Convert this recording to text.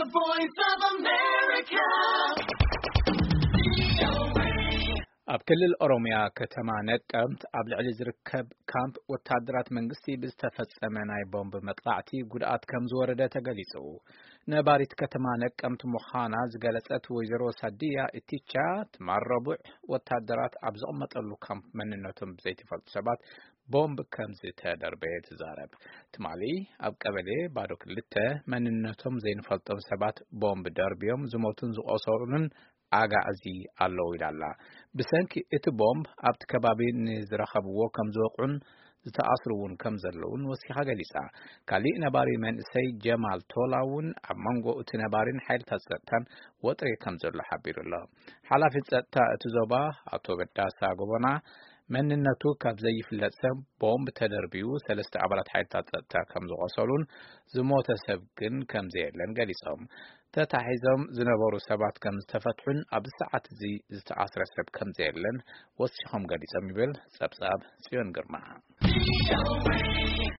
The Voice of America. ኣብ ክልል ኦሮሚያ ከተማ ነቀምት ኣብ ልዕሊ ዝርከብ ካምፕ ወታደራት መንግስቲ ብዝተፈጸመ ናይ ቦምብ መጥቃዕቲ ጉድኣት ከም ዝወረደ ተገሊጹ። ነባሪት ከተማ ነቀምት ምዃና ዝገለጸት ወይዘሮ ሳድያ ኢቲቻ፣ ትማል ረቡዕ ወታደራት ኣብ ዝቕመጠሉ ካምፕ መንነቶም ብዘይተፈልጡ ሰባት ቦምብ ከም ዝተደርበየ ትዛረብ። ትማሊ ኣብ ቀበሌ ባዶ ክልተ መንነቶም ዘይንፈልጦም ሰባት ቦምብ ደርብዮም ዝሞቱን ዝቖሰሉን ኣጋዕዚ ኣለዉ ኢላ ኣላ። ብሰንኪ እቲ ቦምብ ኣብቲ ከባቢ ንዝረኸብዎ ከም ዝወቕዑን ዝተኣስሩ እውን ከም ዘለውን ወሲኻ ገሊጻ። ካሊእ ነባሪ መንእሰይ ጀማል ቶላ እውን ኣብ መንጎ እቲ ነባሪን ሓይልታት ጸጥታን ወጥሪ ከም ዘሎ ሓቢሩ ኣሎ። ሓላፊ ጸጥታ እቲ ዞባ ኣቶ በዳሳ ጎቦና፣ መንነቱ ካብ ዘይፍለጥ ሰብ ቦምብ ተደርብዩ ሰለስተ ኣባላት ሓይልታት ጸጥታ ከም ዝቖሰሉን ዝሞተ ሰብ ግን ከም ዘየለን ገሊጾም። ተታሒዞም ዝነበሩ ሰባት ከም ዝተፈትሑን ኣብዚ ሰዓት እዚ ዝተኣስረ ሰብ ከም ዘየለን ወሲኾም ገሊጾም ይብል ጸብጻብ ጽዮን ግርማ።